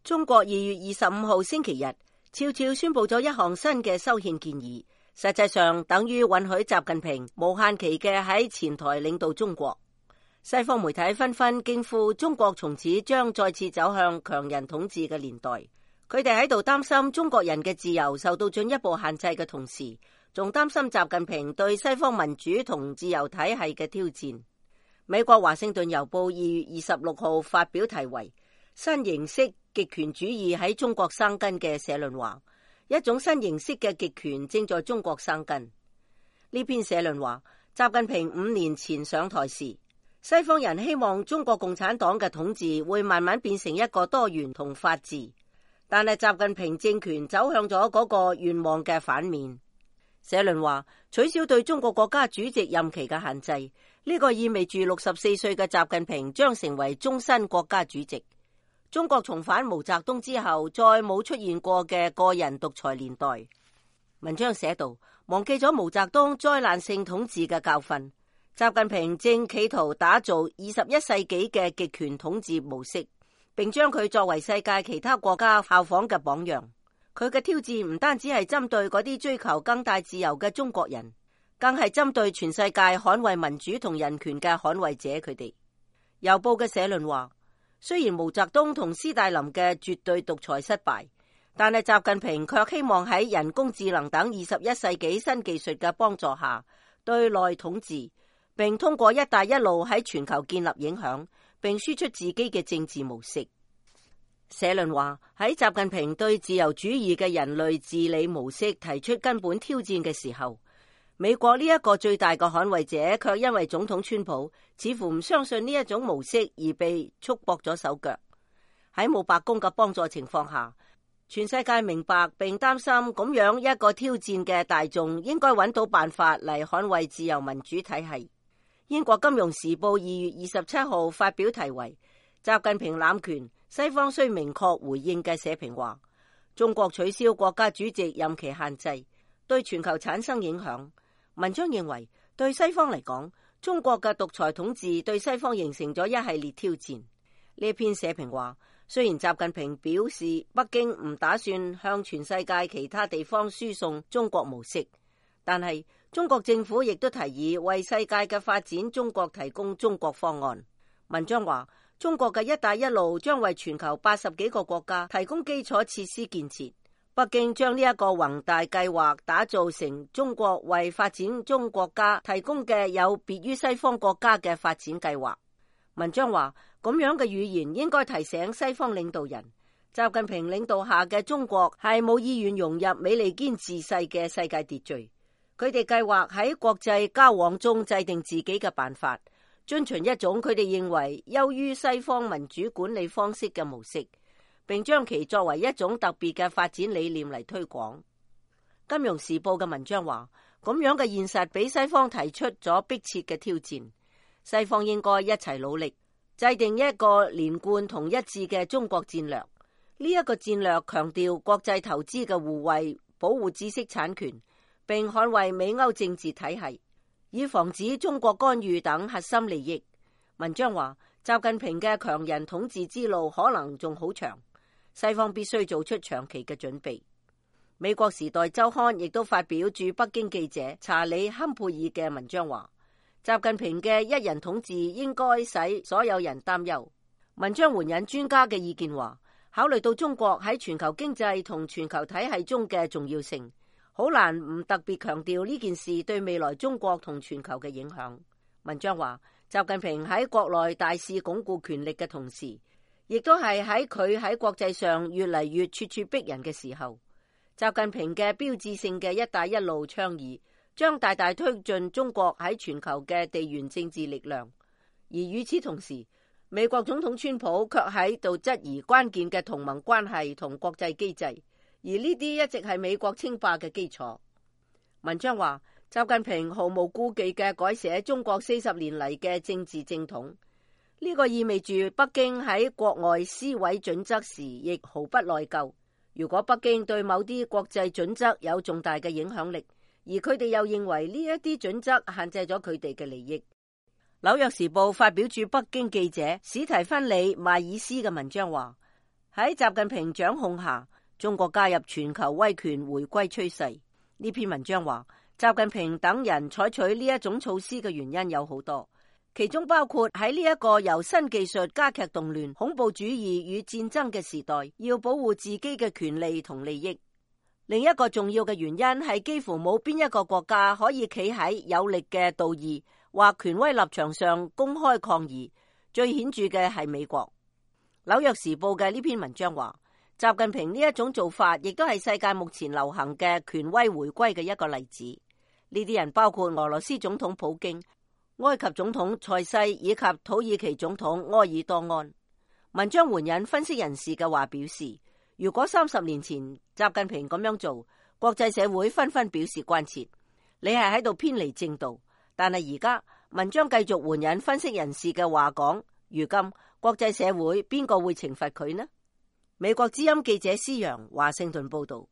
中國2月25號星期日悄悄宣布咗一項新嘅修憲建議，實際上等於允許習近平無限期嘅喺前台領導中國。西方媒體紛紛驚呼，中國從此將再次走向強人統治嘅年代。佢哋喺度擔心中國人嘅自由受到進一步限制嘅同時，仲擔心習近平對西方民主同自由體系嘅挑戰。美國華盛頓郵報2月26號發表題為新形式極權主義喺中國生根嘅社論話，一種新形式嘅極權正在中國生根。呢篇社論話，習近平5年前上台時，西方人希望中國共產黨嘅統治會慢慢變成一個多元同法治，但係習近平政權走向咗嗰個願望嘅反面。社論話，取消對中國國家主席任期嘅限制，呢個意味住64歲嘅習近平將成為終身國家主席。中國重返毛澤東之後再冇出現過嘅個人獨裁年代。文章寫道，忘記咗毛澤東災難性統治嘅教訓，習近平正企圖打造21世紀嘅極權統治模式，並將佢作為世界其他國家效仿嘅榜樣。佢嘅挑戰唔單止係針對嗰啲追求更大自由嘅中國人，更係針對全世界捍衛民主同人權嘅捍衛者佢哋。郵報嘅社論話，雖然毛澤東同斯大林嘅絕對獨裁失敗，但係習近平卻希望喺人工智能等21世紀新技術嘅幫助下對內統治，並通過一帶一路喺全球建立影響，並輸出自己嘅政治模式。社論話，喺習近平對自由主義嘅人類治理模式提出根本挑戰嘅時候，美國呢一個最大嘅捍衛者卻因為總統川普似乎唔相信呢一種模式而被束縛咗手腳。喺冇白宮嘅幫助情況下，全世界明白並擔心咁樣一個挑戰嘅大眾應該揾到辦法嚟捍衛自由民主體系。英國金融時報2月27號發表題為習近平濫權，西方需明確回應嘅社評話，中國取消國家主席任期限制對全球產生影響。文章認為，對西方嚟講，中國嘅獨裁統治對西方形成咗一系列挑戰。呢篇社評話，雖然習近平表示北京唔打算向全世界其他地方輸送中國模式，但係中國政府亦都提議為世界嘅發展中國提供中國方案。文章話，中國嘅一帶一路將為全球80幾個國家提供基礎設施建設。北京將呢一個宏大計劃打造成中國為發展中國家提供嘅有別於西方國家嘅發展計劃。文章話，咁樣嘅語言應該提醒西方領導人，習近平領導下嘅中國係冇意願融入美利堅自細嘅世界秩序。佢哋計劃喺國際交往中制定自己嘅辦法，遵循一種佢哋認為優於西方民主管理方式嘅模式，並將其作為一種特別嘅發展理念嚟推廣。金融時報嘅文章話，咁樣嘅現實俾西方提出咗迫切嘅挑戰，西方應該一齊努力，制定一個連貫同一致嘅中國戰略。呢一個戰略強調國際投資嘅互惠，保護知識產權，並捍衛美歐政治體系，以防止中國干預等核心利益。文章話，習近平嘅強人統治之路可能仲好長，西方必須做出長期嘅準備。美國時代週刊亦都發表駐北京記者查理坎佩爾嘅文章話，習近平嘅一人統治應該使所有人擔憂。文章援引專家嘅意見話，考慮到中國喺全球經濟同全球體系中嘅重要性，好難唔特別強調呢件事對未來中國同全球嘅影響。文章話，習近平喺國內大肆鞏固權力嘅同時，亦都係喺佢喺國際上越嚟越咄咄逼人嘅時候。習近平嘅標誌性嘅一帶一路倡議將大大推進中國喺全球嘅地緣政治力量，而與此同時，美國總統川普卻喺度質疑關鍵嘅同盟關係同國際機制，而呢啲一直係美國稱霸嘅基礎。文章話，習近平毫無顧忌嘅改寫中國40年嚟嘅政治正統，呢個意味住北京喺國外施委準則時亦毫不內疚。如果北京對某啲國際準則有重大嘅影響力，而佢哋又認為呢一啲準則限制咗佢哋嘅利益。紐約時報發表駐北京記者史提芬里邁爾斯嘅文章話，喺習近平掌控下，中國加入全球威權回歸趨勢。呢篇文章話，習近平等人採取呢一種措施嘅原因有好多，其中包括喺呢一個由新技術加劇動亂、恐怖主義與戰爭嘅時代，要保護自己嘅權利同利益。另一個重要嘅原因係幾乎冇邊一個國家可以企喺有力嘅道義或權威立場上公開抗議。最顯著嘅係美國。紐約時報嘅呢篇文章話，習近平呢一種做法亦都係世界目前流行嘅權威回歸嘅一個例子。呢啲人包括俄羅斯總統普京、埃及總統塞西以及土耳其總統埃爾多安。文章援引分析人士嘅話表示，如果30年前習近平咁樣做，國際社會紛紛表示關切，你係喺度偏離正道。但係而家文章繼續援引分析人士嘅話講，如今國際社會邊個會懲罰佢呢？美國之音記者施洋華盛頓報道。